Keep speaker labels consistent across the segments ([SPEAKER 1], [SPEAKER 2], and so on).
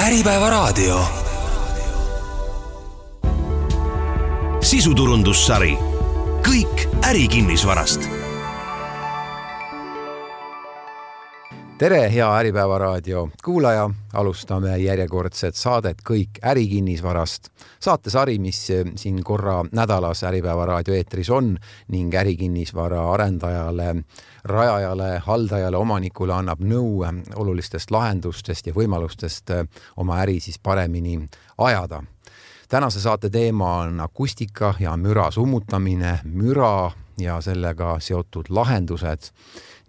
[SPEAKER 1] Äripäevaraadio. Sisuturundussari. Kõik ärikinnisvarast.
[SPEAKER 2] Tere, hea Äripäevaraadio kuulaja. Alustame järjekordset saadet Kõik ärikinnisvarast. Saatesari, mis siin korra nädalas Äripäevaraadio eetris on ning ärikinnisvara arendajale, rajajale, haldajale, omanikule annab nõu olulistest lahendustest ja võimalustest oma äri siis paremini ajada. Tänase saate teema on akustika ja müra summutamine, müra ja sellega seotud lahendused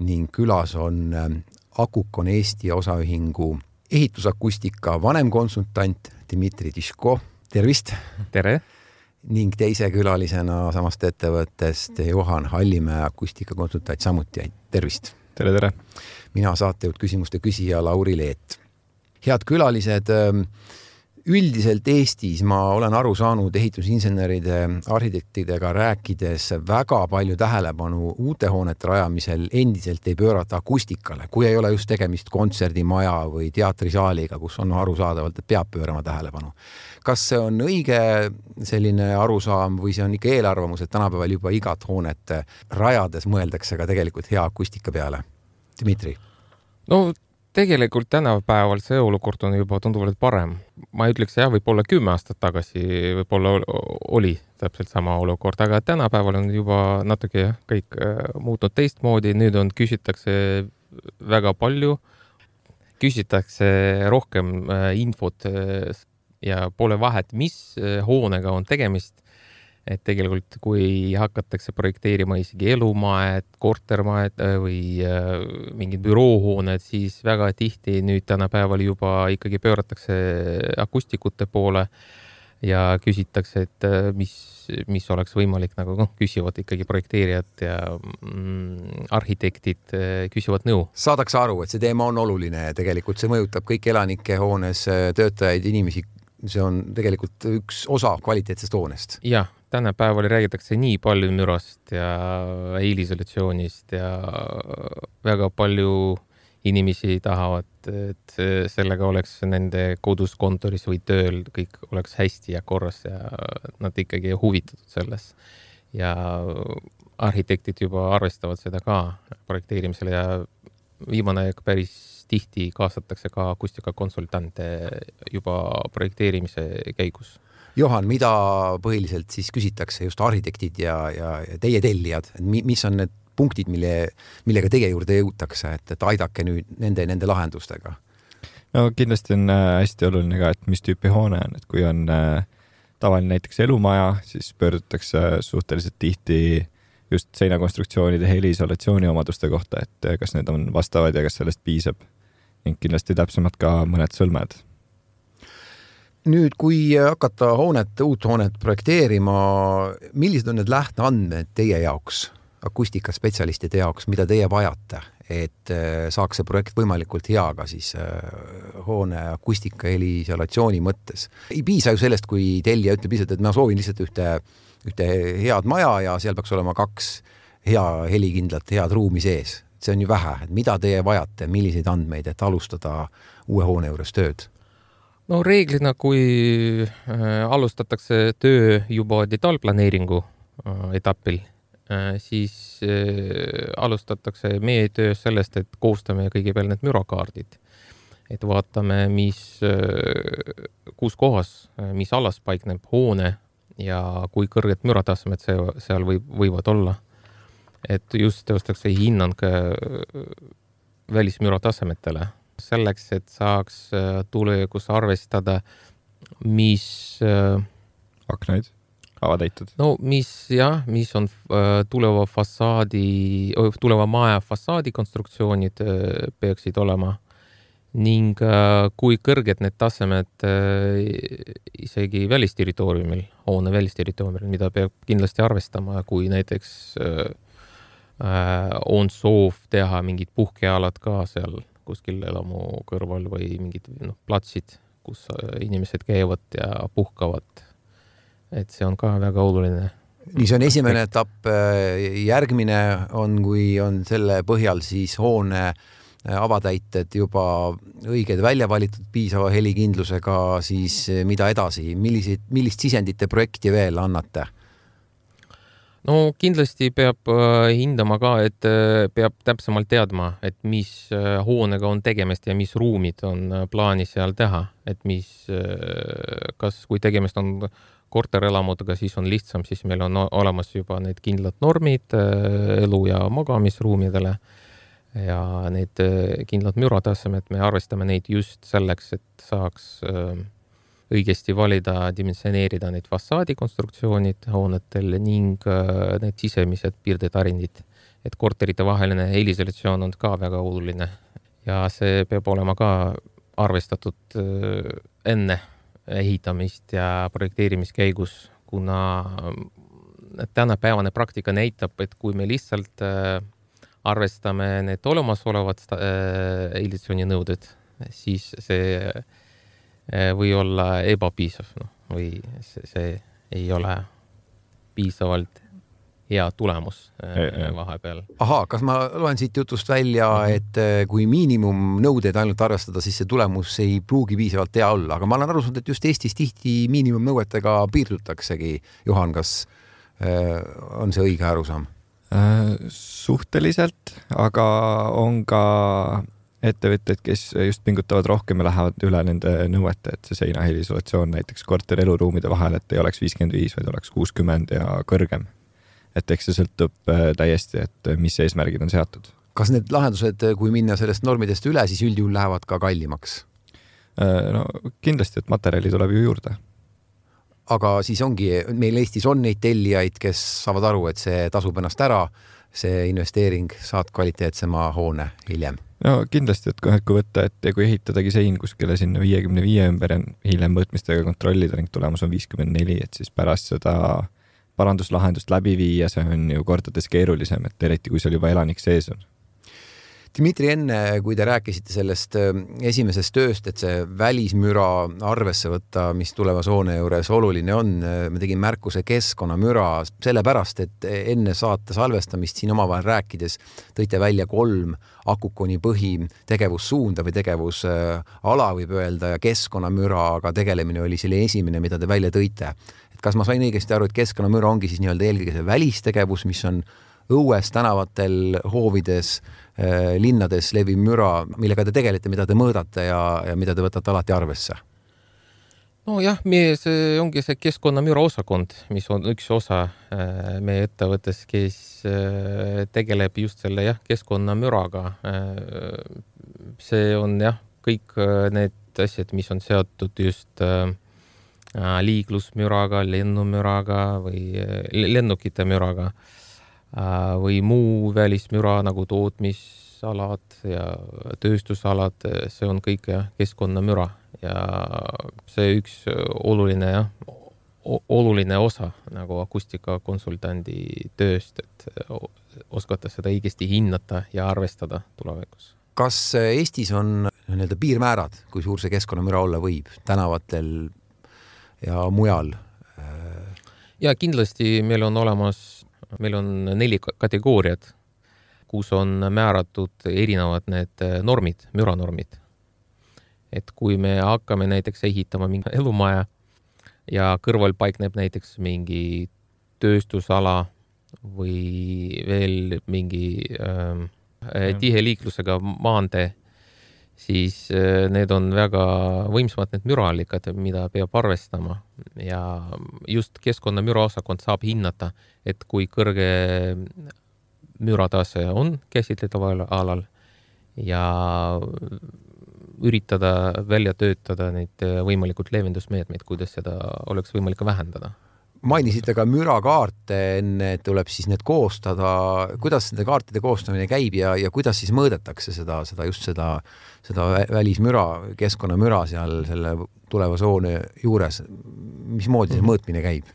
[SPEAKER 2] ning külas on Akukon Eesti osaühingu ehitusakustika vanemkonsultant Dmitri Tiško. Tervist!
[SPEAKER 3] Tere!
[SPEAKER 2] Ning teise külalisena samast ettevõttest Johan Hallimäe akustikakonsultant samuti. Tervist!
[SPEAKER 3] Tere, tere!
[SPEAKER 2] Mina saatejuht küsimuste küsija Lauri Leet. Head külalised, üldiselt Eestis ma olen aru saanud ehitusinseneride, arhitektidega rääkides väga palju tähelepanu uute hoonete rajamisel endiselt ei pöörata akustikale, kui ei ole just tegemist kontserdimaja või teatrisaaliga, kus on arusaadavalt, et peab pöörama tähelepanu. Kas see on õige selline arusaam või see on ikka eelarvamus, et tänapäeval juba igat hoonet rajades mõeldakse ka tegelikult hea akustika peale? Dmitri?
[SPEAKER 3] No tegelikult tänapäeval see olukord on juba tunduvalt parem. Ma ütleks, võib-olla 10 aastat tagasi võib-olla oli täpselt sama olukord, aga tänapäeval on juba natuke kõik muutnud teistmoodi. Nüüd küsitakse väga palju, küsitakse rohkem infot ja pole vahet, mis hoonega on tegemist. Et tegelikult kui hakatakse projekteerima isegi elumaed, kortermaed või mingid büroohooned, siis väga tihti nüüd tänapäeval juba ikkagi pööratakse akustikute poole ja küsitakse, et mis oleks võimalik, nagu küsivad ikkagi projekteerijad ja arhitektid küsivad nõu.
[SPEAKER 2] Saadakse aru, et see teema on oluline ja tegelikult see mõjutab kõik elanike hoones töötajaid, inimesi. See on tegelikult üks osa kvaliteetsest hoonest.
[SPEAKER 3] Jah, tänapäeval räägitakse nii palju mürast ja eelisolatsioonist ja väga palju inimesi tahavad, et sellega oleks nende kodus, kontoris või tööl kõik oleks hästi ja korras ja nad ikkagi huvitatud selles. Ja arhitektid juba arvestavad seda ka projekteerimisele ja viimane päris tihti kaasatakse ka akustikakonsultante juba projekteerimise käigus.
[SPEAKER 2] Johan, mida põhiliselt siis küsitakse just arhitektid ja teie tellijad? Mis on need punktid, millega teie juurde jõutakse, et aidake nüüd nende lahendustega?
[SPEAKER 4] No kindlasti on hästi oluline ka, et mis tüüpi hoone on. Et kui on tavaline näiteks elumaja, siis pöördutakse suhteliselt tihti just seinakonstruktsioonide heliisolatsiooni omaduste kohta, et kas need on vastavad ja kas sellest piisab. Ning kindlasti täpsemalt ka mõned sõlmed.
[SPEAKER 2] Nüüd, kui hakata uut hoonet projekteerima, millised on need lähteandmed teie jaoks, akustikaspetsialistide jaoks, mida teie vajate, et saaks see projekt võimalikult hea ka siis hoone akustika heliisolatsiooni mõttes? Ei piisa ju sellest, kui tellija ütleb lihtsalt, et ma soovin lihtsalt ühte head maja ja seal peaks olema 2 hea helikindlat, head ruumi sees. See on ju vähe, et mida teie vajate, milliseid andmeid, et alustada uue hoone juures tööd?
[SPEAKER 3] No reeglina, kui alustatakse töö juba detaalplaneeringu etapil, siis alustatakse meie töö sellest, et koostame kõigepealt need mürakaardid. Et vaatame, kus kohas, mis alas paikneb hoone ja kui kõrged müratasemed seal võivad olla. Et just teostakse hinnang välismüratasemetele. Selleks, et saaks tulevikus arvestada, mis
[SPEAKER 4] aknaid avatäitud.
[SPEAKER 3] No mis on tuleva maja fassaadi konstruktsioonid peaksid olema ning kui kõrged need tasemed isegi välisterritooriumil, hoone välisterritooriumil, mida peab kindlasti arvestama, kui näiteks on soov teha mingid puhkealad ka seal kuskil elamu kõrval või mingid platsid, kus inimesed käivad ja puhkavad. Et see on ka väga oluline.
[SPEAKER 2] Nii see on esimene etapp. Järgmine on, kui on selle põhjal siis hoone avatäited juba õiged välja valitud piisava helikindlusega, siis mida edasi, millist sisendite projekti veel annate?
[SPEAKER 3] No kindlasti peab hindama ka, et peab täpsemalt teadma, et mis hoonega on tegemist ja mis ruumid on plaanis seal teha, et kas kui tegemist on korterelamutega, siis on lihtsam, siis meil on olemas juba need kindlad normid elu- ja magamisruumidele ja need kindlad müratasemed, me arvestame neid just selleks, et saaks õigesti valida, dimensioneerida need fassaadikonstruktsioonid hoonetel ning need sisemised piirdetarindid. Et korterite vaheline helisolatsioon on ka väga oluline ja see peab olema ka arvestatud enne ehitamist ja projekteerimiskäigus, kuna tänapäevane praktika näitab, et kui me lihtsalt arvestame need olemasolevad ehitusjoninõuded, siis see või olla ebapiisav või see ei ole piisavalt hea tulemus vahepeal.
[SPEAKER 2] Aha, kas ma loen siit jutust välja, et kui miinimumnõudeid ainult arvestada, siis see tulemus ei pruugi piisavalt hea olla, aga ma olen aru saanud, et just Eestis tihti miinimumnõuetega piirdutaksegi. Juhan, kas on see õige arusaam?
[SPEAKER 4] Suhteliselt, aga on ka ettevõtted, kes just pingutavad rohkem ja lähevad üle nende nõuete, et see seinahelisolatsioon näiteks korter eluruumide vahel, et ei oleks 55, vaid oleks 60 ja kõrgem. Et eks see sõltub täiesti, et mis eesmärgid on seatud.
[SPEAKER 2] Kas need lahendused, kui minna sellest normidest üle, siis üldjuhul lähevad ka kallimaks?
[SPEAKER 4] No kindlasti, et materjali tuleb ju juurde.
[SPEAKER 2] Aga siis ongi, meil Eestis on neid tellijaid, kes saavad aru, et see tasub ennast ära, see investeering, saad kvaliteetsema hoone hiljem.
[SPEAKER 4] No kindlasti, et kui võtta, et kui ehitadagi sein kuskile sinna 55 ümber ja hiljem mõõtmistega kontrollida ning tulemus on 54, et siis pärast seda paranduslahendust läbi viia, see on ju kordades keerulisem, et eriti kui seal juba elanik sees on.
[SPEAKER 2] Dmitri, enne kui te rääkisite sellest esimesest tööst, et see välismüra arvesse võtta, mis tulevas hoone juures oluline on, me tegin märkuse keskkonnamüra sellepärast, et enne saate salvestamist siin omavahel rääkides tõite välja 3 Akukoni põhi tegevussuunda või tegevusala võib öelda ja keskkonnamüraga tegelemine oli selle esimene, mida te välja tõite. Et kas ma sain õigesti aru, et keskkonnamüra ongi siis nii-öelda eelkõige see välistegevus, mis on õues, tänavatel, hoovides, linnades leviv müra, millega te tegelete, mida te mõõdate ja mida te võtate alati arvesse?
[SPEAKER 3] No jah, see ongi see keskkonnamüra osakond, mis on üks osa meie ettevõttes, kes tegeleb just selle keskkonnamüraga. See on kõik need asjad, mis on seotud just liiklusmüraga, lennumüraga või lennukite müraga või muu välismüra nagu tootmisalad ja tööstusalad, see on kõik keskkonnamüra ja see üks oluline osa nagu akustikakonsultandi tööst, et oskata seda õigesti hinnata ja arvestada tulevikus.
[SPEAKER 2] Kas Eestis on nii-öelda piirmäärad, kui suur see keskkonnamüra olla võib tänavatel ja mujal?
[SPEAKER 3] Ja kindlasti meil on 4 kategooriad, kus on määratud erinevad need normid, müranormid. Et kui me hakkame näiteks ehitama mingi elumaja ja kõrval paikneb näiteks mingi tööstusala või veel mingi tihe liiklusega maantee, siis need on väga võimsamad need müraallikad, mida peab arvestama. Ja just keskkonnamüra osakond saab hinnata, et kui kõrge müratase on käsitletaval alal ja üritada välja töötada neid võimalikud leevendusmeetmeid, kuidas seda oleks võimalik vähendada.
[SPEAKER 2] Mainisite ka mürakaarte enne, et tuleb siis need koostada. Kuidas nende kaartide koostamine käib ja kuidas siis mõõdetakse seda välismüra, keskkonnamüra seal selle tulevase hoone juures? Mismoodi see mõõtmine käib?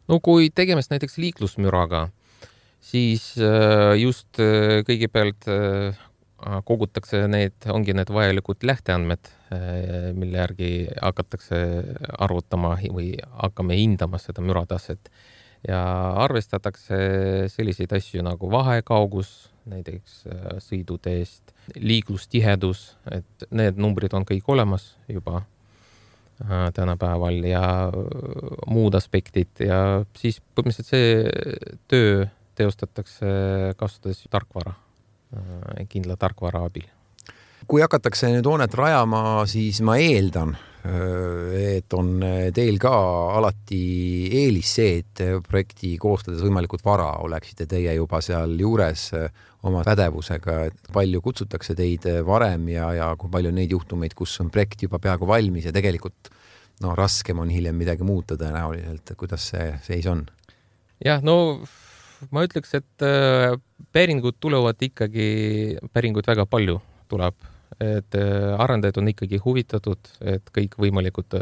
[SPEAKER 3] No kui tegemist näiteks liiklusmüraga, siis just kõigepealt kogutakse ongi need vajalikud lähteandmed, mille järgi hakatakse arvutama või hakkame hindama seda mürataset ja arvestatakse selliseid asju nagu vahekaugus, näiteks sõiduteest, liiklustihedus, et need numbrid on kõik olemas juba tänapäeval ja muud aspektid ja siis põhimõtteliselt see töö teostatakse kasutades tarkvara, kindla tarkvara abil.
[SPEAKER 2] Kui hakatakse nüüd hoonet rajama, siis ma eeldan, et on teil ka alati eelis see, et projekti koostades võimalikult vara oleksite teie juba seal juures oma pädevusega, et palju kutsutakse teid varem ja kui palju neid juhtumeid, kus on projekt juba peaaegu valmis ja tegelikult raskem on hiljem midagi muuta tõenäoliselt, kuidas see seis on?
[SPEAKER 3] Jah, ma ütleks, et päringud tulevad väga palju tuleb, et arendajad on ikkagi huvitatud, et kõik võimalikud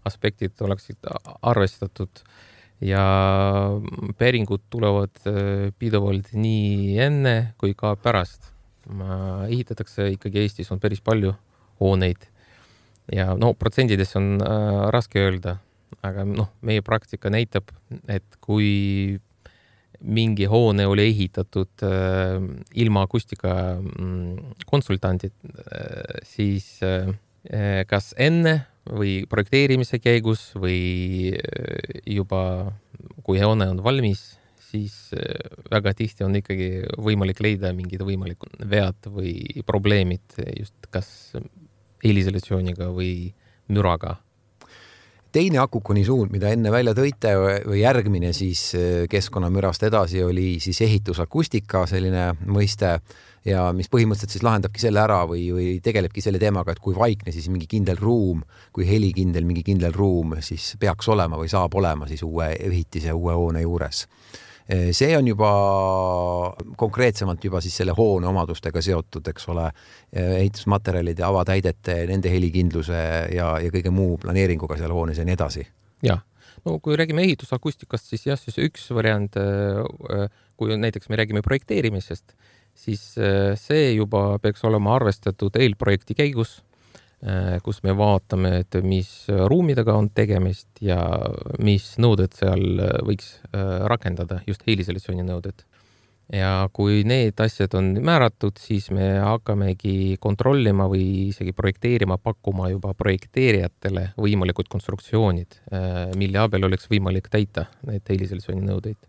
[SPEAKER 3] aspektid oleksid arvestatud ja päringud tulevad pidevalt nii enne kui ka pärast. Ehitatakse ikkagi Eestis on päris palju hooneid ja protsendides on raske öelda, aga meie praktika näitab, et kui mingi hoone oli ehitatud ilma akustika konsultandid, siis kas enne või projekteerimise käigus või juba kui hoone on valmis, siis väga tihti on ikkagi võimalik leida mingid võimalikud vead või probleemid just kas heliisolatsiooniga või müraga.
[SPEAKER 2] Teine Akukoni suund, mida enne välja tõite või järgmine siis keskkonnamürast edasi oli siis ehitusakustika selline mõiste ja mis põhimõtteliselt siis lahendabki selle ära või tegelebki selle teemaga, et kui vaikne siis mingi kindel ruum, kui helikindel mingi kindel ruum siis peaks olema või saab olema siis uue ehitise, uue hoone juures. See on juba konkreetsemalt juba siis selle hoone omadustega seotud, eks ole, ehitusmaterjalide, avatäidete, nende helikindluse ja kõige muu planeeringuga seal hoones ja nii edasi.
[SPEAKER 3] Jah, kui räägime ehitusakustikast, siis jah, siis üks variant, kui näiteks me räägime projekteerimisest, siis see juba peaks olema arvestatud eelprojekti käigus, kus me vaatame, et mis ruumidega on tegemist ja mis nõuded seal võiks rakendada, just heliisolatsiooni nõuded. Ja kui need asjad on määratud, siis me hakkamegi kontrollima või isegi projekteerima, pakkuma juba projekteerijatele võimalikud konstruktsioonid, mille abil oleks võimalik täita need heliisolatsiooni nõudeid.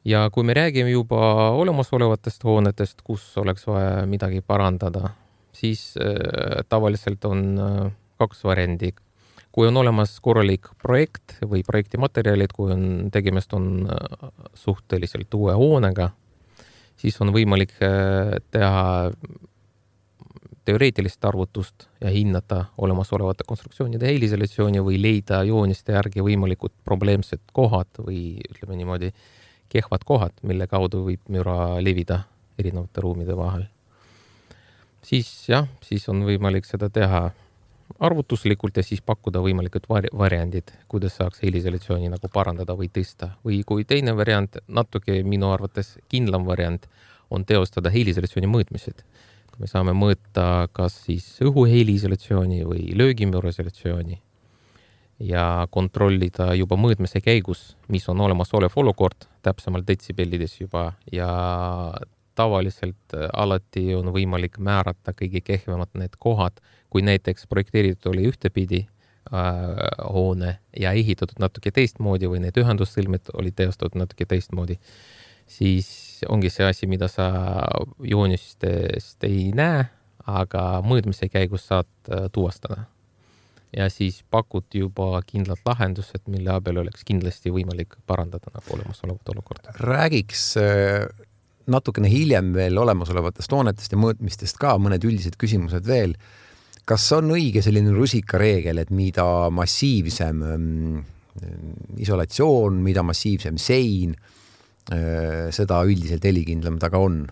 [SPEAKER 3] Ja kui me räägime juba olemasolevatest hoonetest, kus oleks vaja midagi parandada, siis tavaliselt on kaks variandi. Kui on olemas korralik projekt või projekti materjalid, kui on tegemist on suhteliselt uue hoonega, siis on võimalik teha teoreetilist arvutust ja hinnata olemasolevate konstruktsioonide heliisolatsiooni või leida jooniste järgi võimalikud probleemsed kohad või ütleme niimoodi kehvad kohad, mille kaudu võib müra levida erinevate ruumide vahel. Siis on võimalik seda teha arvutuslikult ja siis pakkuda võimalikud variandid, kuidas saaks heliisolatsiooni nagu parandada või tõsta. Või kui teine variant, natuke minu arvates kindlam variant, on teostada heliisolatsiooni mõõtmised. Kui me saame mõõta kas siis õhu heliisolatsiooni või löögimüra isolatsiooni ja kontrollida juba mõõtmise käigus, mis on olemasolev olukord, täpsemalt detsibellides juba ja tavaliselt alati on võimalik määrata kõige kehvemad need kohad, kui näiteks projekteeritud oli ühtepidi hoone ja ehitatud natuke teistmoodi või need ühendussõlmed oli teostatud natuke teistmoodi, siis ongi see asi, mida sa joonistest ei näe, aga mõõtmise käigus saad tuvastada. Ja siis pakud juba kindlad lahendused, mille abil oleks kindlasti võimalik parandada nagu olemasolevat olukorda.
[SPEAKER 2] Räägiks natukene hiljem veel olemasolevatest hoonetest ja mõõtmistest ka mõned üldised küsimused veel. Kas on õige selline rusikareegel, et mida massiivsem isolatsioon, mida massiivsem sein, seda üldiselt helikindlam ta ka on?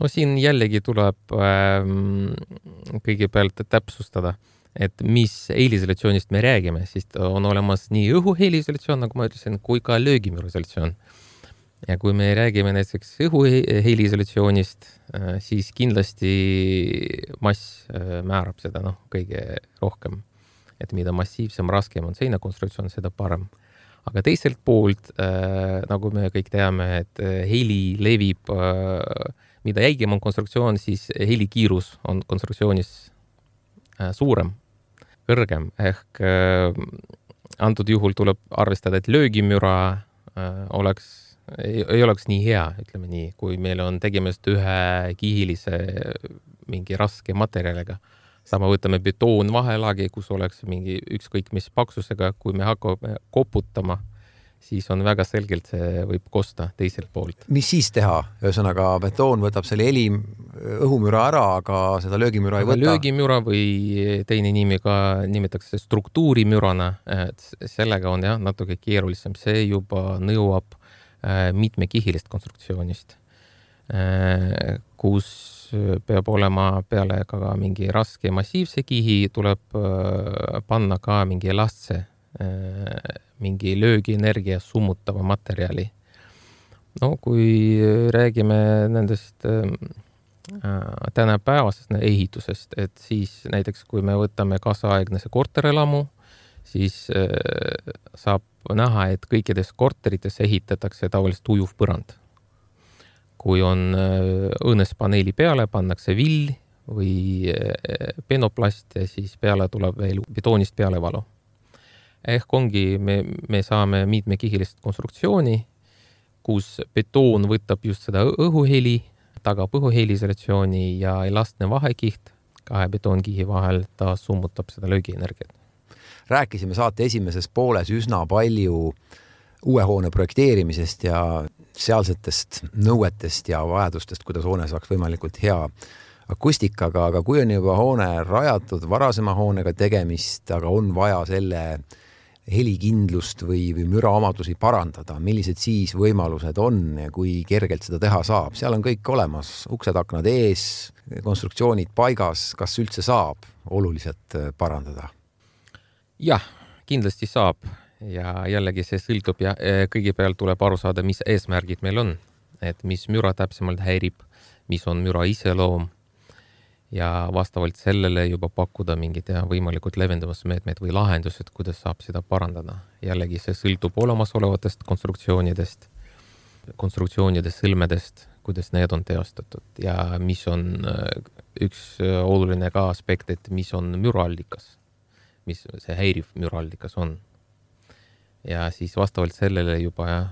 [SPEAKER 3] Siin jällegi tuleb kõigepealt täpsustada, et mis heliisolatsioonist me räägime, siis on olemas nii õhu heliisolatsioon, nagu ma ütlesin, kui ka löögimüra isolatsioon. Ja kui me räägime näiteks õhu heliisolatsioonist, siis kindlasti mass määrab seda kõige rohkem. Et mida massiivsem, raskem on seinakonstruktsioon, seda parem. Aga teiselt poolt, nagu me kõik teame, et heli levib mida jäigem on konstruktsioon, siis helikiirus on konstruktsioonis suurem, kõrgem. Ehk antud juhul tuleb arvestada, et löögimüra ei oleks nii hea, ütleme nii, kui meil on tegemist ühe kihilise mingi raske materjaliga. Sama võtame betoon vahelaagi, kus oleks mingi ükskõik mis paksusega, kui me hakkame koputama, siis on väga selgelt see võib kosta teiselt poolt.
[SPEAKER 2] Mis siis teha? Ühesõnaga, betoon võtab selle õhumüra ära, aga seda löögimüra ei võta?
[SPEAKER 3] Löögimüra või teine nimi ka nimetatakse struktuurimürana, et sellega on natuke keerulisem. See juba nõuab mitmekihilist konstruktsioonist, kus peab olema peale ka mingi raske massiivse kihi, tuleb panna ka mingi elastse, mingi löögienergia summutava materjali. No kui räägime nendest tänapäevasest ehitusest, et siis näiteks kui me võtame kaasaegne korterelamu, siis saab näha, et kõikides korterites ehitatakse tavaliselt ujuv põrand. Kui on õõnespaneeli peale, pannakse vill või penoplast ja siis peale tuleb veel betoonist pealevalu. Ehk ongi, me saame mitmekihilist konstruktsiooni, kus betoon võtab just seda õhuheli, tagab õhuheliisolatsiooni ja elastne vahekiht kahe betoonkihi vahel, ta summutab seda löögienergiat.
[SPEAKER 2] Rääkisime saate esimeses pooles üsna palju uue hoone projekteerimisest ja sealsetest nõuetest ja vajadustest, kuidas hoone saaks võimalikult hea akustikaga, aga kui on juba hoone rajatud varasema hoonega tegemist, aga on vaja selle helikindlust või müra omadusi parandada, millised siis võimalused on ja kui kergelt seda teha saab? Seal on kõik olemas, uksed, aknad ees, konstruktsioonid paigas, kas üldse saab oluliselt parandada?
[SPEAKER 3] Jah, kindlasti saab. Ja jällegi see sõltub ja kõigepealt tuleb aru saada, mis eesmärgid meil on, et mis müra täpsemalt häirib, mis on müra iseloom ja vastavalt sellele juba pakkuda mingid võimalikud leevendamismeetmed või lahendused, kuidas saab seda parandada. Jällegi see sõltub olemasolevatest konstruktsioonide sõlmedest, kuidas need on teostatud ja mis on üks oluline ka aspekt, et mis on müraallikas, mis see häiriv müraallikas on. Ja siis vastavalt sellele juba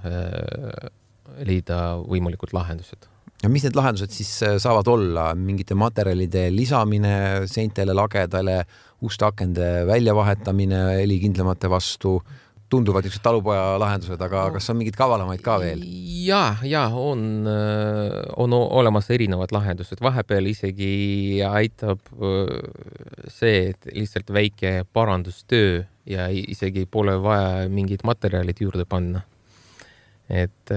[SPEAKER 3] leida võimalikud lahendused.
[SPEAKER 2] Ja mis need lahendused siis saavad olla? Mingite materjalide lisamine seintele, lagedale, uste akende väljavahetamine helikindlamate vastu? Tunduvad niisugused talupoja lahendused, aga kas on mingid kavalamaid ka veel?
[SPEAKER 3] Ja on olemas erinevad lahendused. Vahepeal isegi aitab see, et lihtsalt väike parandustöö ja isegi pole vaja mingid materjalid juurde panna. Et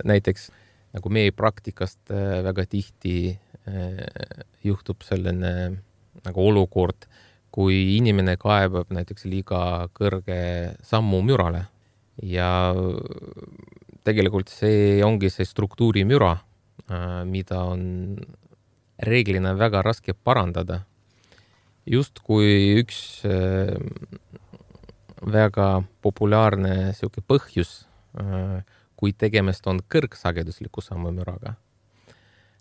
[SPEAKER 3] näiteks nagu meie praktikast väga tihti juhtub selline nagu olukord, kui inimene kaebab näiteks liiga kõrge sammu mürale ja tegelikult see ongi see struktuurimüra, mida on reeglina väga raske parandada. Just kui üks väga populaarne siuke põhjus, kui tegemist on kõrgsagedusliku sammumüraga.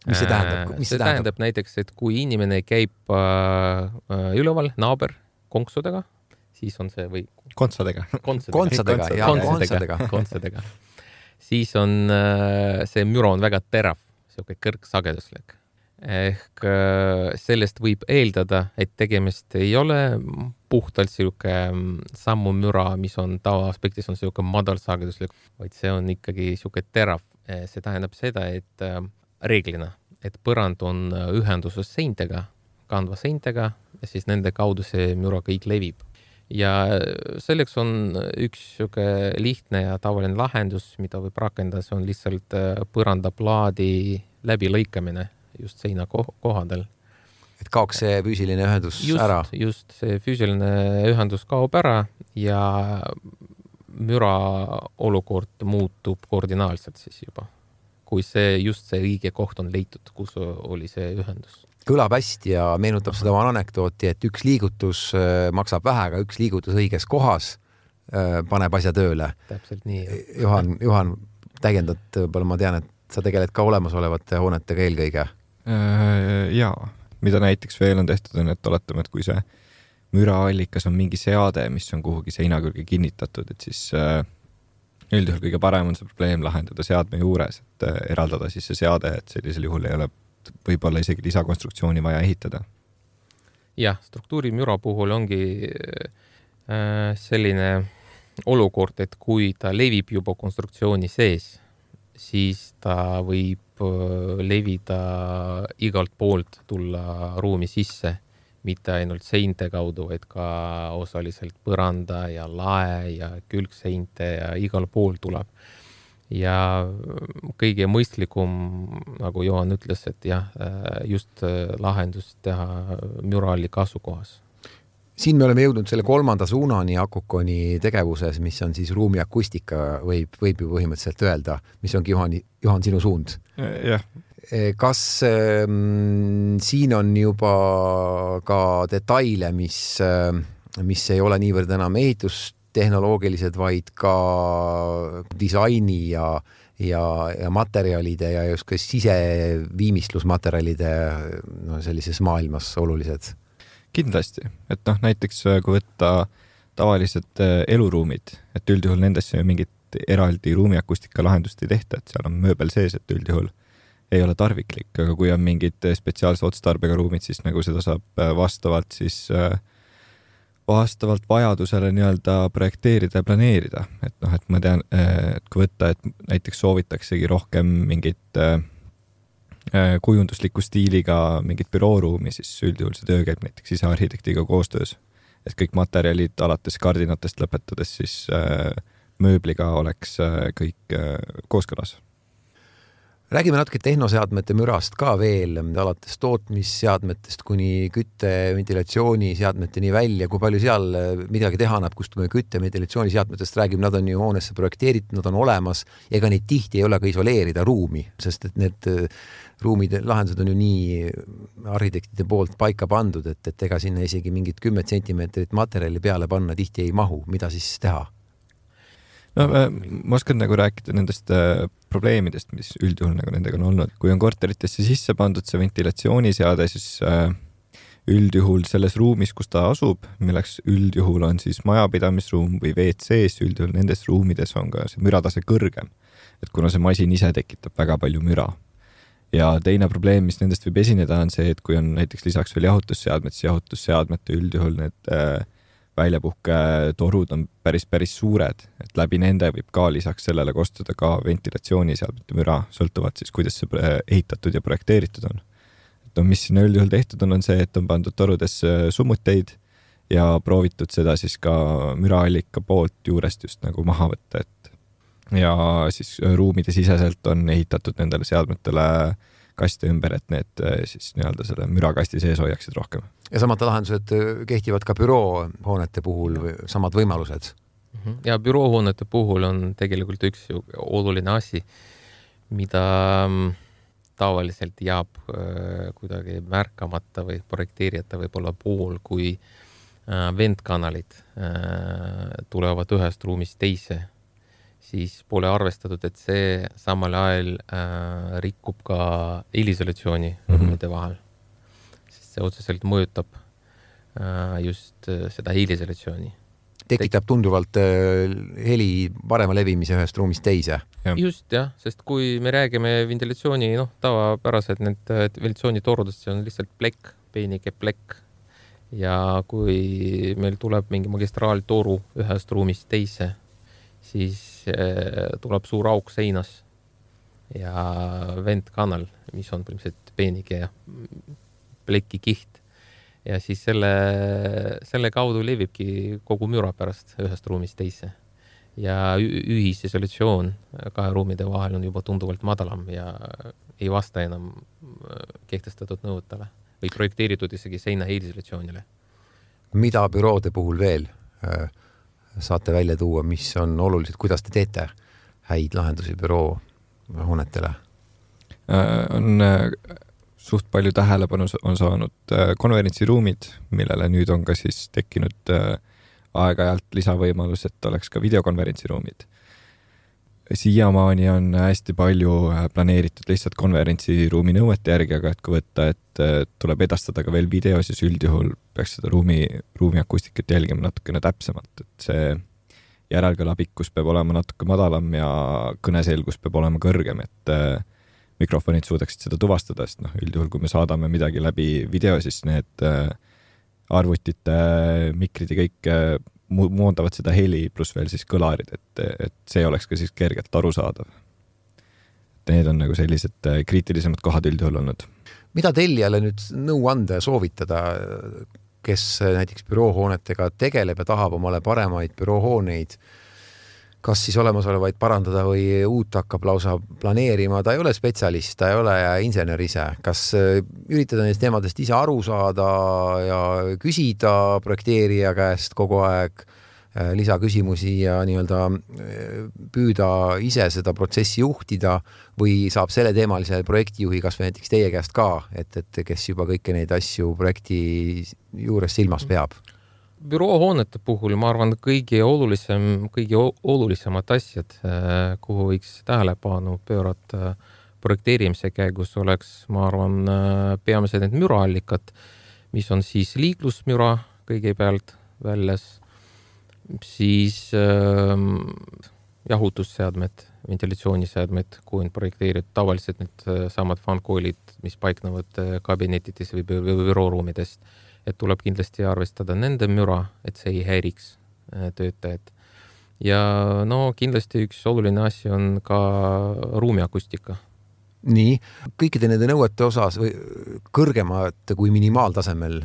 [SPEAKER 2] Mis see tähendab?
[SPEAKER 3] See tähendab näiteks, et kui inimene käib üleval naaber konksudega, siis on see või
[SPEAKER 2] kontsadega,
[SPEAKER 3] siis on see müra on väga terav, siuke kõrgsageduslik. Ehk sellest võib eeldada, et tegemist ei ole puhtalt siuke sammumüra, mis on tavaaspektis on siuke madalsageduslik, vaid see on ikkagi siuke terav. See tähendab seda, et reeglina, et põrand on ühenduses seintega, kandva seintega ja siis nende kaudu see müra kõik levib. Ja selleks on üks lihtne ja tavaline lahendus, mida võib rakendada, see on lihtsalt põrandaplaadi läbilõikamine just seina kohdal.
[SPEAKER 2] Et kaoks see füüsiline ühendus ära?
[SPEAKER 3] Just, see füüsiline ühendus kaob ära ja müra olukord muutub koordinaalselt siis juba, kui see õige koht on leitud, kus oli see ühendus.
[SPEAKER 2] Kõlab hästi ja meenutab seda oma anekdooti, et üks liigutus maksab vähe, aga üks liigutus õiges kohas paneb asja tööle.
[SPEAKER 3] Täpselt nii.
[SPEAKER 2] Juhan täiendat, ma tean, et sa tegeled ka olemasolevate hoonetega eelkõige?
[SPEAKER 4] Jaa, mida näiteks veel on tehtud, on, et oletame, et kui see müraallikas on mingi seade, mis on kuhugi seina külge kinnitatud, et siis üldjuhul kõige parem on see probleem lahendada seadme juures, et eraldada siis see seade, et sellisel juhul ei ole võib-olla isegi lisakonstruktsiooni vaja ehitada.
[SPEAKER 3] Jah, struktuurimüra puhul ongi selline olukord, et kui ta levib juba konstruktsiooni sees, siis ta võib levida igalt poolt tulla ruumi sisse, mitte ainult seinte kaudu, vaid ka osaliselt põranda ja lae ja külgseinte ja igal pool tuleb. Ja kõige mõistlikum, nagu Johan ütles, et jah, just lahendus teha müraallik asukohas.
[SPEAKER 2] Siin me oleme jõudnud selle 3. suunani Akukoni tegevuses, mis on siis ruumi akustika, võib ju põhimõtteliselt öelda, mis ongi Johan sinu suund.
[SPEAKER 4] Jah.
[SPEAKER 2] Kas siin on juba ka detaile, mis ei ole niivõrd enam ehitustehnoloogilised, vaid ka disaini ja materjalide ja just ka siseviimistlusmaterjalide sellises maailmas olulised?
[SPEAKER 4] Kindlasti, et näiteks kui võtta tavalised eluruumid, et üldjuhul nendesse ju mingit eraldi ruumiakustika lahendust ei tehta, et seal on mööbel sees, et üldjuhul ei ole tarviklik, aga kui on mingid spetsiaalse otstarbega ruumid, siis nagu seda saab vastavalt vajadusele nii-öelda projekteerida ja planeerida. Et ma tean, et kui võtta, et näiteks soovitaksegi rohkem mingit kujundusliku stiiliga mingit bürooruumi, siis üldjuhul see töö käib näiteks sisearhitektiga koostöös. Et kõik materjalid alates kardinatest lõpetades siis mööbliga oleks kõik kooskõlas.
[SPEAKER 2] Räägime natuke tehnoseadmete mürast ka veel, alates tootmisseadmetest kuni kütte, ventilatsiooniseadmeteni välja, kui palju seal midagi teha annab, kust me kütte, ventilatsiooniseadmetest räägime, nad on ju hoonesse projekteeritud, nad on olemas, ega neid tihti ei ole ka isoleerida ruumi, sest et need ruumide lahendused on ju nii arhitektide poolt paika pandud, et ega sinna isegi mingit 10 sentimeetrit materjali peale panna tihti ei mahu, mida siis teha?
[SPEAKER 4] No, ma oskan nagu rääkida nendest probleemidest, mis üldjuhul nagu nendega on olnud. Kui on korteritesse sisse pandud see ventilatsiooniseade, siis üldjuhul selles ruumis, kus ta asub, milleks üldjuhul on siis majapidamisruum või WC-s, üldjuhul nendes ruumides on ka see müratase kõrgem. Et kuna see masin ise tekitab väga palju müra. Ja teine probleem, mis nendest võib esineda, on see, et kui on näiteks lisaks veel jahutusseadmed, siis jahutusseadmete üldjuhul need väljapuhketorud on päris suured, et läbi nende võib ka lisaks sellele kostuda ka ventilatsiooniseadmete müra, sõltuvalt siis, kuidas see ehitatud ja projekteeritud on. Et mis sinna üldjuhul tehtud on see, et on pandud torudesse summuteid ja proovitud seda siis ka müraallika poolt juurest just nagu maha võtta, et ja siis ruumide siseselt on ehitatud nendele seadmetele kaste ümber, et need siis nii-öelda selle mürakasti sees hoiaksid rohkem.
[SPEAKER 2] Ja samad lahendused kehtivad ka büroohoonete puhul või samad võimalused?
[SPEAKER 3] Ja büroohoonete puhul on tegelikult üks oluline asi, mida tavaliselt jääb kuidagi märkamata või projekteerijate võib-olla pool, kui ventkanalid tulevad ühest ruumist teise, siis pole arvestatud, et see samal ajal rikub ka heliisolatsiooni ruumide vahel. Sest see otseselt mõjutab just seda heliisolatsiooni.
[SPEAKER 2] Tekitab tunduvalt heli parema levimise ühest ruumist teise.
[SPEAKER 3] Just jah, sest kui me räägime ventilatsiooni, tavapärased need ventilatsioonitorudest, see on lihtsalt plekk, peenike plekk. Ja kui meil tuleb mingi magistraaltoru ühest ruumist teise, siis tuleb suur auk seinas ja ventkanal, mis on põhimõtteliselt peenike ja pleki kiht. Ja siis selle kaudu levibki kogu müra pärast ühest ruumist teise. Ja ühisisolatsioon kahe ruumide vahel on juba tunduvalt madalam ja ei vasta enam kehtestatud nõutele või projekteeritud isegi seina heliisolatsioonile.
[SPEAKER 2] Mida büroode puhul veel saate välja tuua, mis on olulised, kuidas te teete häid lahendusi büroo hoonetele?
[SPEAKER 4] On suht palju tähelepanu on saanud konverentsiruumid, millele nüüd on ka siis tekkinud aeg-ajalt lisavõimalus, et oleks ka videokonverentsiruumid. siiamaani on hästi palju planeeritud lihtsalt konverentsiruumi nõuete järgi, aga et kui võtta, et tuleb edastada ka veel video, siis üldjuhul peaks seda ruumi akustikat jälgima natukene täpsemalt, et see järelkõla pikkus peab olema natuke madalam ja kõneselgus peab olema kõrgem, et mikrofonid suudaksid seda tuvastada, sest üldjuhul, kui me saadame midagi läbi video, siis need arvutite, mikrid ja kõik moondavad seda heli pluss veel siis kõlarid, et see oleks ka siis kergelt arusaadav. Need on nagu sellised kriitilisemad kohad üldjuhul olnud.
[SPEAKER 2] Mida tellijale nüüd nõu anda ja soovitada, kes näiteks büroohoonetega tegeleb ja tahab omale paremaid büroohooneid, kas siis olemasolevaid parandada või uut hakkab lausa planeerima, ta ei ole spetsialist, ta ei ole insener ise. Kas üritada neist teemadest ise aru saada ja küsida projekteerija käest kogu aeg lisaküsimusi ja nii-öelda püüda ise seda protsessi juhtida või saab selle teemalise projektijuhi kas või näiteks teie käest ka, et kes juba kõiki neid asju projekti juures silmas peab?
[SPEAKER 3] Büroohoonete puhul ma arvan kõige olulisemad asjad, kuhu võiks tähelepanu pöörata projekteerimise käigus oleks, ma arvan, peamiselt need müraallikad, mis on siis liiklusmüra kõigepealt väljas, siis jahutusseadmed, ventilatsiooniseadmed, kui on projekteeritud tavaliselt need samad fankoolid, mis paiknevad kabinetides või bürooruumidest, et tuleb kindlasti arvestada nende müra, et see ei häiriks töötajad. Ja kindlasti üks oluline asi on ka ruumiakustika.
[SPEAKER 2] Nii, kõikide nende nõuete osas või kõrgemad kui minimaaltasemel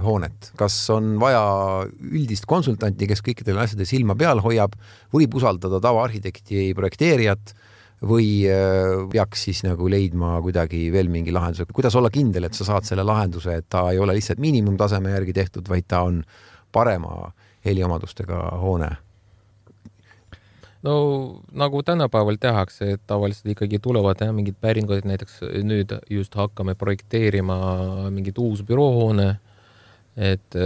[SPEAKER 2] hoonet. Kas on vaja üldist konsultanti, kes kõikidele asjade silma peal hoiab, võib usaldada tavaarhitekti projekteerijat või peaks siis nagu leidma kuidagi veel mingi lahenduse? Kuidas olla kindel, et sa saad selle lahenduse, et ta ei ole lihtsalt miinimumtaseme järgi tehtud, vaid ta on parema heliomadustega hoone?
[SPEAKER 3] No nagu tänapäeval tehakse, et tavaliselt ikkagi tulevad mingid päringud, näiteks nüüd just hakkame projekteerima mingit uus büroohoone, et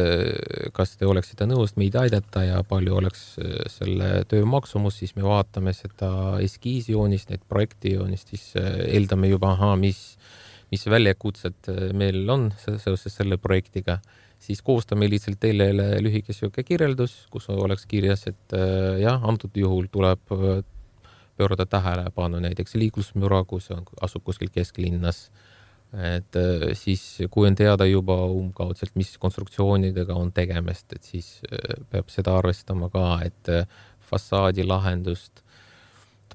[SPEAKER 3] kas te oleksite nõust meid aidata ja palju oleks selle töö maksumus, siis me vaatame seda eskiisjoonist, need projektijoonist, siis eeldame juba, mis väljakutsed meil on seoses selle projektiga, siis koostame lihtsalt teile lühike kirjeldus, kus oleks kirjas, et antud juhul tuleb pöörata tähelepanu näiteks liiklusmüra, kus asub kuskil kesklinnas. Et siis, kui on teada juba kaudselt, mis konstruktsioonidega on tegemist, et siis peab seda arvestama ka, et fassaadi lahendust.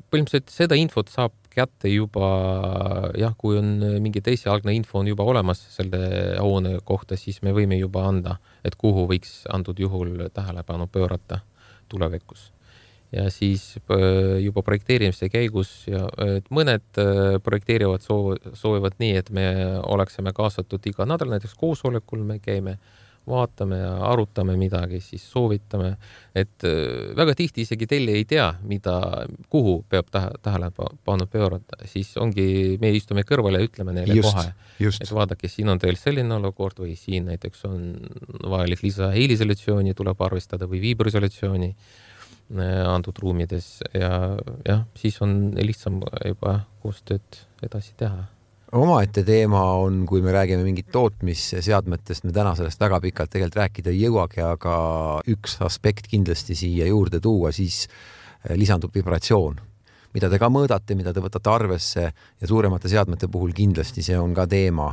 [SPEAKER 3] Põhimõtteliselt seda infot saab kätte juba, kui on mingi teisialgne info on juba olemas selle hoone kohta, siis me võime juba anda, et kuhu võiks antud juhul tähelepanu pöörata tulevikus. Ja siis juba projekteerimise käigus et mõned projekteerivad soovivad nii, et me oleksime kaasatud iga nädal, näiteks koosolekul me käime, vaatame ja arutame midagi, siis soovitame, et väga tihti isegi teile ei tea, kuhu peab tähelepanu pöörata, siis ongi, me istume kõrvale ja ütleme neile kohe, et vaadake, siin on teil selline olukord või siin näiteks on vajalik lisa heliisolatsiooni, tuleb arvestada või viibrisolatsiooni antud ruumides ja siis on lihtsam juba koostööd edasi teha.
[SPEAKER 2] Omaette teema on, kui me räägime mingit tootmisseadmetest, me täna sellest väga pikalt tegelikult rääkida ei jõuagi, aga üks aspekt kindlasti siia juurde tuua, siis lisandub vibratsioon, mida te ka mõõdate, mida te võtate arvesse ja suuremate seadmete puhul kindlasti see on ka teema.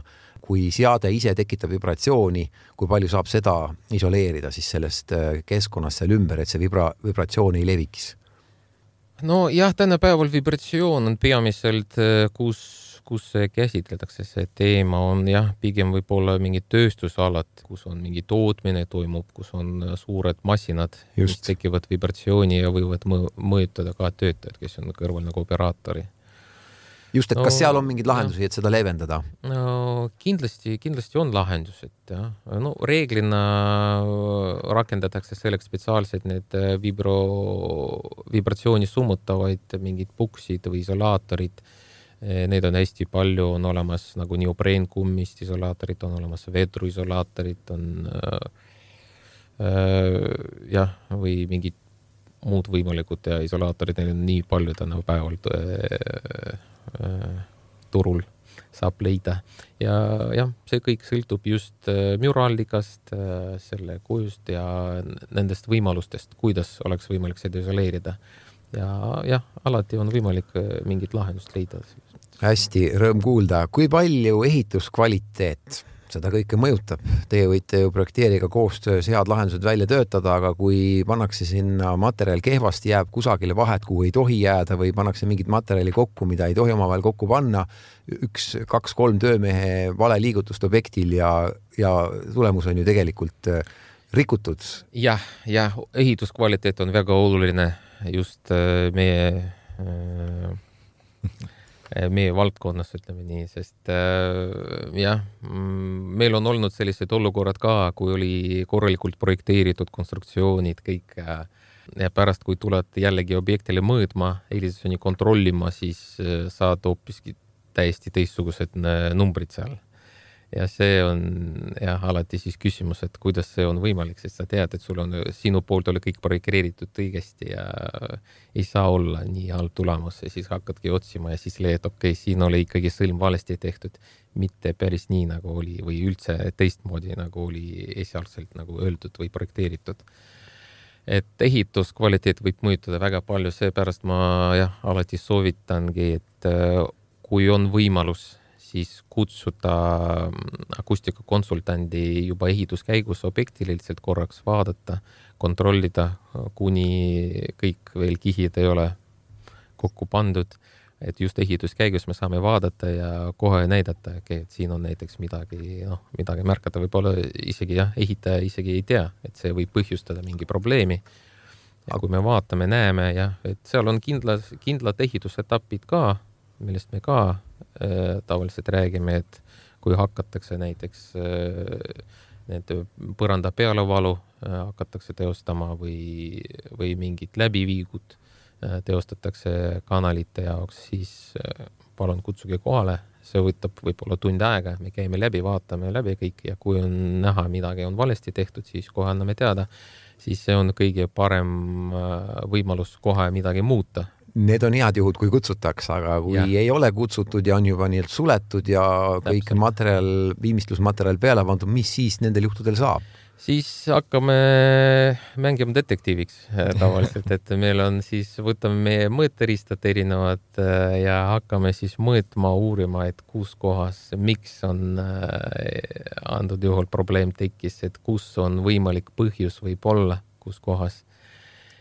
[SPEAKER 2] Kui seade ise tekitab vibratsiooni, kui palju saab seda isoleerida siis sellest keskkonnast seal ümber, et see vibratsioon ei leviks?
[SPEAKER 3] No jah, tänapäeval vibratsioon on peamiselt, kus käsitletakse see teema, on pigem võib-olla mingid tööstusalad, kus on mingi tootmine toimub, kus on suured massinad, mis tekivad vibratsiooni ja võivad mõjutada ka töötajad, kes on kõrval nagu operaatori.
[SPEAKER 2] Just, et kas seal on mingid lahendusi, et seda leevendada?
[SPEAKER 3] No kindlasti on lahendus, et reeglina rakendatakse selleks spetsiaalselt need vibratsiooni summutavaid mingid puksid või isolaatorid. Neid on hästi palju, on olemas nagu neopreenkummist isolaatorid, on olemas vedruisolaatorid, on või mingid muud võimalikud ja isolaatorid, neil on nii palju tänapäeval turul saab leida. Ja jah, see kõik sõltub just müraallikast, selle kujust ja nendest võimalustest, kuidas oleks võimalik seda isoleerida. Ja jah, alati on võimalik mingit lahendust leida.
[SPEAKER 2] Hästi, rõõm kuulda. Kui palju ehituskvaliteet seda kõike mõjutab? Teie võite ju projekteeriga koostöös head lahendused välja töötada, aga kui pannakse sinna materjal kehvasti, jääb kusagile vahet, kuhu ei tohi jääda või pannakse mingit materjali kokku, mida ei tohi omavahel kokku panna, 1, 2, 3 töömehe vale liigutust objektil ja tulemus on ju tegelikult rikutud.
[SPEAKER 3] Jah, ehituskvaliteet on väga oluline just meie valdkonnas, ütleme nii, sest jah, meil on olnud sellised olukorrad ka, kui oli korralikult projekteeritud konstruktsioonid, kõik ja pärast, kui tuled jällegi objektile mõõdma, eelisoni kontrollima, siis saad hoopiski täiesti teistsugused numbrid seal. Ja see on jah, alati siis küsimus, et kuidas see on võimalik, sest sa tead, et sul on sinu poolt oli kõik projekteeritud õigesti ja ei saa olla nii halb tulemus ja siis hakkadki otsima ja siis leiad, okei, siin oli ikkagi sõlm valesti tehtud, mitte päris nii nagu oli või üldse teistmoodi nagu oli esialgselt nagu öeldud või projekteeritud. Et ehituskvaliteet võib mõjutada väga palju, seepärast ma jah, alati soovitangi, et kui on võimalus siis kutsuda akustikakonsultandi juba ehituskäigus objektil lihtsalt korraks vaadata, kontrollida, kuni kõik veel kihid ei ole kokku pandud. Et just ehituskäigus me saame vaadata ja kohe näidata, et siin on näiteks midagi märkata. Võib-olla isegi ehitaja isegi ei tea, et see võib põhjustada mingi probleemi. Aga kui me vaatame, näeme, et seal on kindlad ehitusetapid ka, millest me ka tavaliselt räägime, et kui hakatakse näiteks need põranda pealevalu hakatakse teostama või mingid läbiviigud teostatakse kanalite jaoks, siis palun kutsuge kohale. See võtab võib-olla tund aega, me käime läbi, vaatame läbi kõik ja kui on näha, midagi on valesti tehtud, siis kohe anname teada. Siis see on kõige parem võimalus kohe midagi muuta.
[SPEAKER 2] Need on head juhud, kui kutsutakse, aga kui ei ole kutsutud ja on juba nii suletud ja kõik materjal, viimistlusmaterjal peale pandud, mis siis nendel juhtudel saab?
[SPEAKER 3] Siis hakkame mängima detektiiviks tavaliselt, et meil on siis, võtame meie mõõteristad erinevad ja hakkame siis mõõtma, uurima, et kus kohas, miks on antud juhul probleem tekkis, et kus on võimalik põhjus võib olla, kus kohas.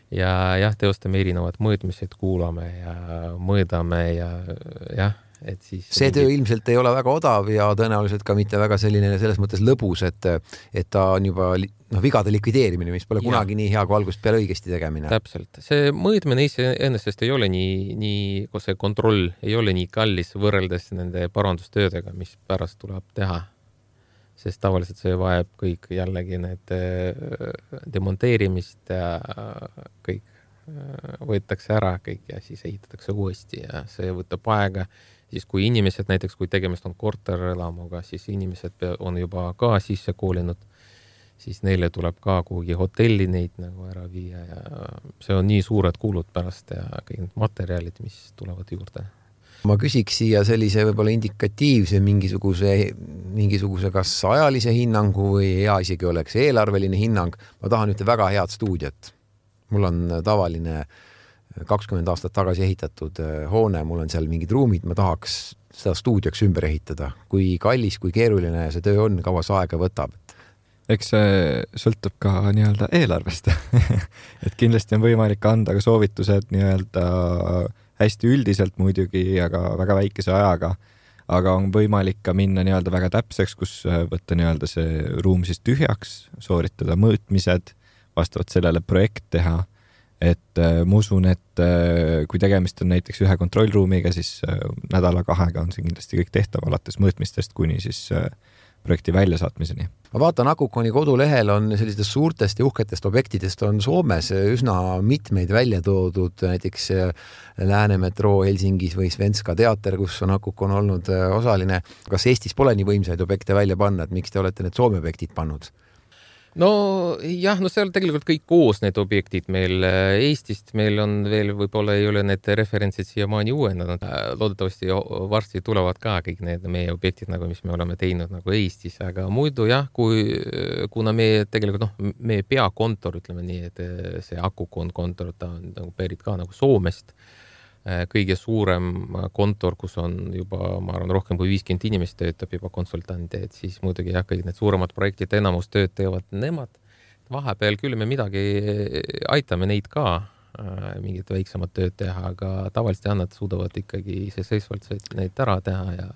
[SPEAKER 3] Ja teostame erinevad mõõtmised, kuulame ja mõõdame ja et siis...
[SPEAKER 2] See töö ilmselt ei ole väga odav ja tõenäoliselt ka mitte väga selline selles mõttes lõbus, et ta on juba vigade likvideerimine, mis pole kunagi nii hea kui algusest peale õigesti tegemine.
[SPEAKER 3] Täpselt. See mõõtmine ennestest ei ole nii, kui see kontroll ei ole nii kallis võrreldes nende parandustöödega, mis pärast tuleb teha. Sest tavaliselt see vajab kõik jällegi need demonteerimist ja kõik võetakse ära kõik ja siis ehitatakse uuesti ja see võtab aega. Siis kui inimesed, näiteks kui tegemist on korterelamuga, siis inimesed on juba ka sisse koolinud, siis neile tuleb ka kuhugi hotelli neid nagu ära viia ja see on nii suured kulud pärast ja kõik materjalid, mis tulevad juurde.
[SPEAKER 2] Ma küsiks siia sellise võib-olla indikatiivse mingisuguse kas ajalise hinnangu või hea isegi oleks eelarveline hinnang. Ma tahan ühte väga head stuudiot. Mul on tavaline 20 aastat tagasi ehitatud hoone, mul on seal mingid ruumid, ma tahaks seda stuudioks ümber ehitada. Kui kallis, kui keeruline see töö on, kaua see aega võtab?
[SPEAKER 4] Eks see sõltub ka nii-öelda eelarvest. Et kindlasti on võimalik anda ka soovitused nii-öelda hästi üldiselt muidugi, aga väga väikese ajaga, aga on võimalik ka minna nii-öelda väga täpseks, kus võtta nii-öelda see ruum siis tühjaks, sooritada mõõtmised, vastavalt sellele projekt teha. Et ma usun, et kui tegemist on näiteks ühe kontrollruumiga, siis nädala-kahega on see kindlasti kõik tehtav alates mõõtmistest kuni siis projekti väljasaatmiseni.
[SPEAKER 2] Ma vaatan, Akukoni kodulehel on sellistest suurtest ja uhketest objektidest on Soomes üsna mitmeid välja toodud, näiteks Läänemetroo Helsingis või Svenska teater, kus on Akukon olnud osaline. Kas Eestis pole nii võimsaid objekte välja panna, et miks te olete need Soome objektid pannud?
[SPEAKER 3] no jah, no seal tegelikult kõik koos need objektid meil Eestist, meil on veel, võib-olla ei ole need referentsid siiamaani uuendanud. Loodetavasti varsti tulevad ka kõik need meie objektid, nagu mis me oleme teinud nagu Eestis, aga muidu jah, kuna me tegelikult, meie peakontor, ütleme nii, et see Akukon kontor, ta on nagu pärit ka nagu Soomest. Kõige suurem kontor, kus on juba, ma arvan, rohkem kui 50 inimest töötab juba konsultante, et siis muidugi jah, kõik need suuremad projektid enamus tööd teevad nemad. Vahepeal küll me midagi aitame neid ka, mingit väiksemat tööd teha, aga tavaliselt nad suudavad ikkagi iseseisvalt neid ära teha ja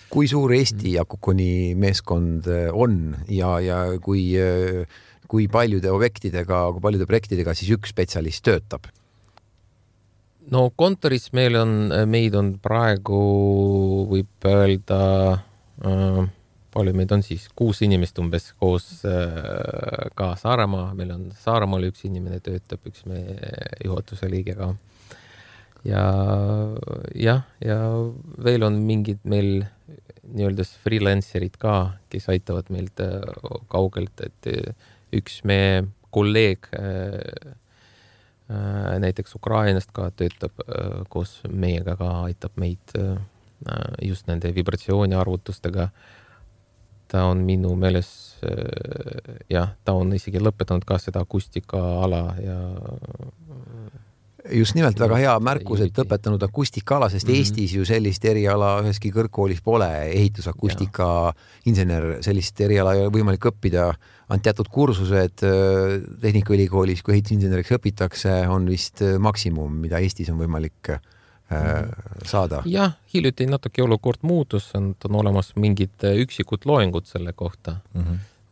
[SPEAKER 2] kui suur Eesti Akukoni meeskond on ja kui paljude objektidega, kui paljude projektidega siis üks spetsialist töötab?
[SPEAKER 3] No kontoris meid on praegu, võib öelda, palju meid on siis 6 inimest umbes koos ka Saaremaa. Meil on Saaremaal üks inimene töötab, üks meie juhatuse liige ka. Ja veel on mingid meil nii-öelda freelancerid ka, kes aitavad meilt kaugelt, et üks meie kolleeg näiteks Ukrainast ka töötab koos meiega ka, aitab meid just nende vibratsiooniarvutustega. Ta on minu meeles, ta on isegi lõpetanud ka seda akustika ala ja
[SPEAKER 2] just nimelt väga hea märkus, et õpetanud akustikaala, sest Eestis ju sellist eriala üheski kõrgkoolis pole, ehitusakustika insener, sellist eriala ei ole võimalik õppida. On teatud kursused Tehnikaülikoolis, kui ehitusinseneriks õpitakse, on vist maksimum, mida Eestis on võimalik saada.
[SPEAKER 3] Jah, hiljuti natuke olukord muutus, on olemas mingid üksikud loengud selle kohta.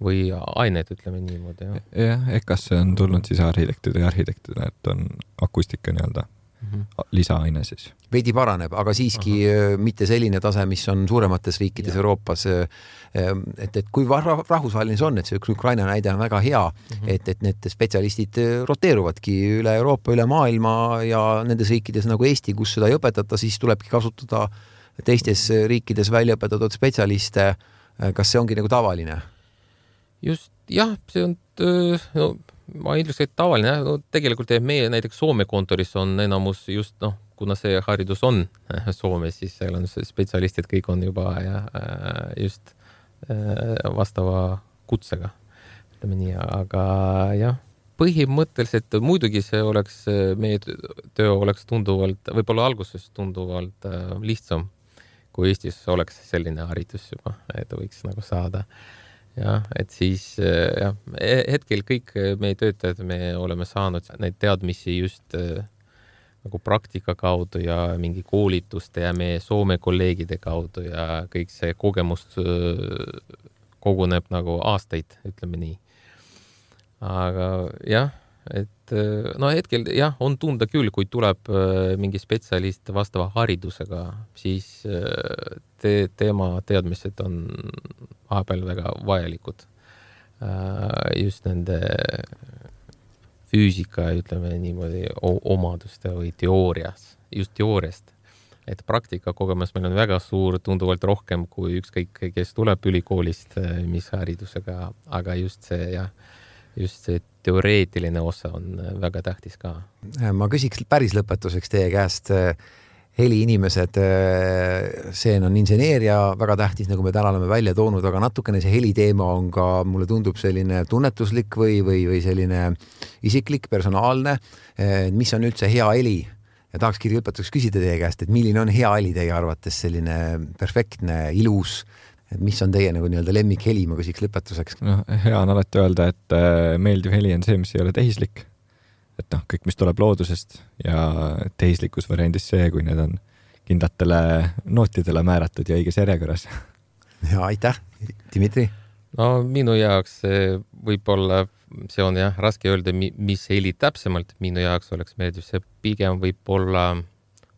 [SPEAKER 3] Või aineid, ütleme niimoodi.
[SPEAKER 4] Jah, kas see on tulnud siis arhitektidele, et on akustika nii-öelda lisaaine siis?
[SPEAKER 2] Veidi paraneb, aga siiski mitte selline tase, mis on suuremates riikides Euroopas. Et kui rahvusvaheline see on, et see üks Ukraina näide on väga hea, et need spetsialistid roteeruvadki üle Euroopa, üle maailma ja nendes riikides nagu Eesti, kus seda ei õpetata, siis tulebki kasutada teistes riikides välja õpetatud spetsialiste. Kas see ongi nagu tavaline?
[SPEAKER 3] Just, jah, see on, ma ütleks, et tavaline. Tegelikult meie näiteks Soome kontoris on enamus just, kuna see haridus on Soomes, siis seal on spetsialistid, kõik on juba just vastava kutsega. Ütleme nii, aga jah, põhimõtteliselt muidugi see oleks, meie töö oleks tunduvalt, võib-olla alguses tunduvalt lihtsam, kui Eestis oleks selline haridus juba, et võiks nagu saada. Ja, et siis hetkel kõik meie töötajad, me oleme saanud neid teadmisi just nagu praktika kaudu ja mingi koolituste ja meie Soome kolleegide kaudu ja kõik see kogemust koguneb nagu aastaid, ütleme nii. Aga jah, et hetkel on tunda küll, kui tuleb mingi spetsialist vastava haridusega, siis tema teadmised on vahepeal väga vajalikud. Just nende füüsika, ütleme niimoodi, omaduste või just teooriast. Et praktika kogemus meil on väga suur, tunduvalt rohkem kui ükskõik, kes tuleb ülikoolist, mis haridusega, aga just see teoreetiline osa on väga tähtis ka.
[SPEAKER 2] Ma küsiks päris lõpetuseks teie käest, heliinimesed, see on inseneeria väga tähtis, nagu me täna oleme välja toonud, aga natukene see heliteema on ka, mulle tundub selline tunnetuslik või selline isiklik, personaalne. Mis on üldse hea heli? Ja tahakski lõpetuseks küsida teie käest, et milline on hea heli teie arvates, selline perfektne, ilus, et mis on teie nagu nii-öelda lemmik heli, ma küsiks lõpetuseks?
[SPEAKER 4] Hea on alati öelda, et meeldiv heli on see, mis ei ole tehislik. Et kõik, mis tuleb loodusest ja tehislikus variandis see, kui need on kindlatele nootidele määratud ja õiges järjekorras.
[SPEAKER 2] Ja aitäh, Dimitri!
[SPEAKER 3] No minu jaoks võib-olla, see on raske öelda, mis heli täpsemalt minu jaoks oleks meeldiv, see pigem võib-olla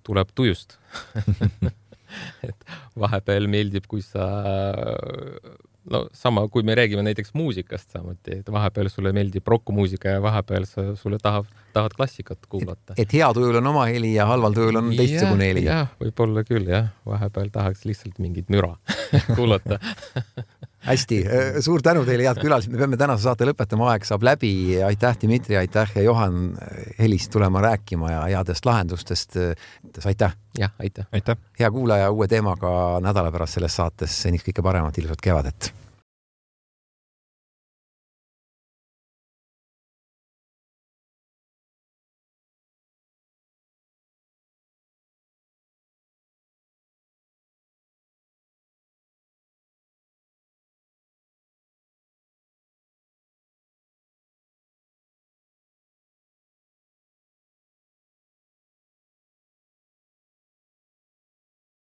[SPEAKER 3] tuleb tujust. Et vahepeal meeldib, kui sa sama, kui me räägime näiteks muusikast samuti, et vahepeal sulle meeldib rockmuusika ja vahepeal sulle tahad klassikat kuulata.
[SPEAKER 2] Et hea tujul on oma heli ja halval tujul on teistsugune heli.
[SPEAKER 3] Jah, võib-olla küll, vahepeal tahaks lihtsalt mingit müra kuulata.
[SPEAKER 2] hästi, suur tänu teile, head külalised, me peame tänase saate lõpetama, aeg saab läbi. Aitäh, Dmitri, aitäh ja Johan helist tulema rääkima ja headest lahendustest. Aitäh.
[SPEAKER 3] Jah, aitäh.
[SPEAKER 4] Aitäh.
[SPEAKER 2] Hea kuulaja, uue teemaga nädala pärast selles saates. Seniks kõike paremat, ilusat kevadet.